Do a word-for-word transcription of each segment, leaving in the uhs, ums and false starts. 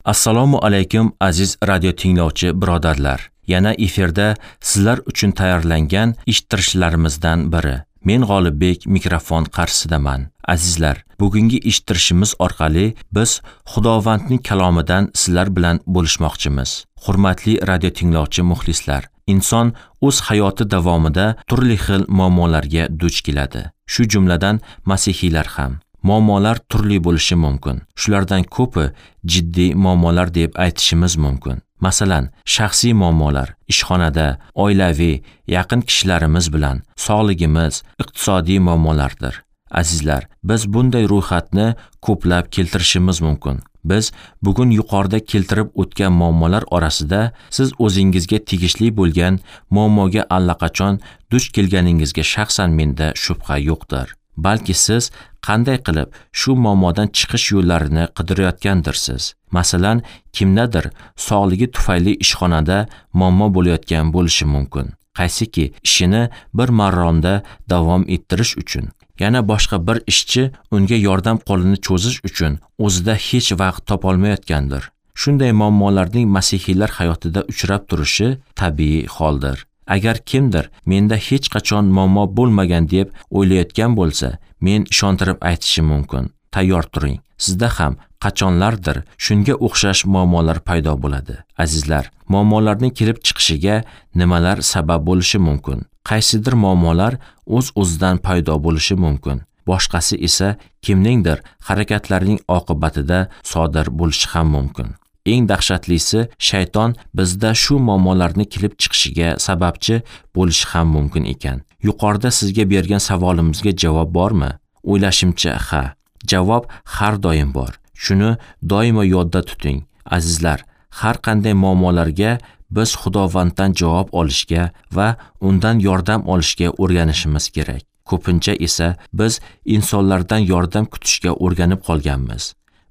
Assalomu alaykum aziz radio tinglovchi birodarlar. Yana efirda sizlar uchun tayyorlangan eshittirishlarimizdan biri. Men G'olibbek mikrofon qarshisidaman. Azizlar, bugungi eshittirishimiz orqali biz Xudovandning kalomidan sizlar bilan bo'lishmoqchimiz. Hurmatli radio tinglovchi muxlislar, inson o'z hayoti davomida turli xil muammolarga duch keladi. Shu jumladan masihiylar ham. Muammolar turli bo'lishi mumkin. Shulardan ko'pi jiddiy muammolar deb aytishimiz mumkin. Masalan, shaxsiy muammolar, ishxonada, oilaviy, yaqin kishilarimiz bilan, sog'ligimiz, iqtisodiy muammolardir. Azizlar, biz bunday ro'yxatni ko'plab keltirishimiz mumkin. Biz bugun yuqorida keltirib o'tgan muammolar orasida siz o'zingizga tegishli bo'lgan muammoga allaqachon duch kelganingizga shaxsan menda shubha yo'qdir. Balki siz qanday qilib shu muammodan chiqish yo'llarini qidirayotgandirsiz. Masalan, kimdadir sog'ligi tufayli ishxonada muammo bo'layotgan bo'lishi mumkin. Qaysiki ishini bir maromda davom ettirish uchun, yana boshqa bir ishchi unga yordam qo'lini cho'zish uchun o'zida hech vaqt topolmayotgandir. Shunday muammolarning masihiylar hayotida uchrab turishi tabiiy holdir. Agar kimdir menda hech qachon muammo bo'lmagan deb o'ylayotgan bo'lsa, men ishontirib aytishim mumkin. Tayyor turing. Sizda ham qachonlardir shunga o'xshash muammolar paydo bo'ladi. Azizlar, muammolarning kelib chiqishiga nimalar sabab bo'lishi mumkin? Qaysidir muammolar o'z-o'zidan paydo bo'lishi mumkin. Boshqasi esa kimningdir harakatlarining oqibatida sodir bo'lishi ham mumkin. Eng dahshatlisi, shayton bizda shu muammolarni kelib chiqishiga sababchi bo'lishi ham mumkin ekan. Yuqorida sizga bergan savolimizga javob bormi? O'ylashimcha, ha. Javob har doim bor. Shuni doimo yodda tuting. Azizlar, har qanday muammolarga biz Xudovanddan javob olishga va undan yordam olishga o'rganishimiz kerak. Ko'pincha esa biz insonlardan yordam kutishga o'rganib qolganmiz.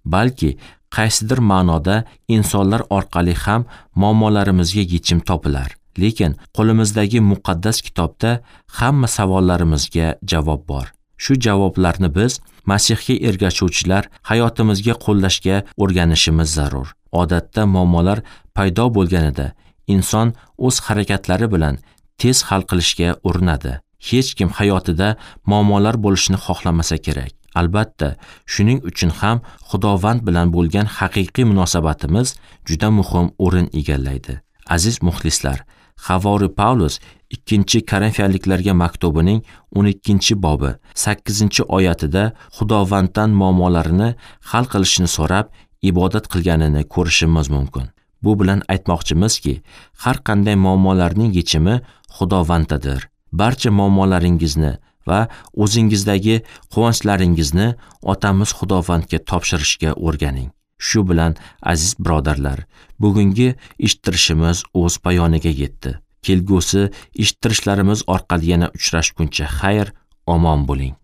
Balki qaysidir ma'noda insonlar orqali ham muammolarimizga yechim topilar. Lekin qo'limizdagi muqaddas kitobda hamma savollarimizga javob bor. Shu javoblarni biz Masihga ergashuvchilar hayotimizga qo'llashga o'rganishimiz zarur. Odatda muammolar paydo bo'lganida inson o'z harakatlari bilan tez hal qilishga urinadi. Hech kim hayotida muammolar bo'lishini xohlamasa kerak. Albatta, shuning uchun ham Xudovand bilan bo'lgan haqiqiy munosabatimiz juda muhim o'rin egallaydi. Aziz muxlislar, Havori Pavlus ikkinchi Korinfiyaliklarga maktubining o'n ikkinchi bobi sakkizinchi oyatida Xudovanddan muammolarini hal qilishini so'rab ibodat qilganini ko'rishimiz mumkin. Bu bilan aytmoqchimizki, har qanday muammolarning yechimi Xudovanddadir. Barcha muammolaringizni va o'zingizdagi quvonchlaringizni otamiz Xudovandga topshirishga o'rganing. Shu bilan aziz birodarlar, bugungi eshittirishimiz o'z poyoniga yetdi. Kelgusi eshittirishlarimiz orqali yana uchrashguncha xayr, omon bo'ling.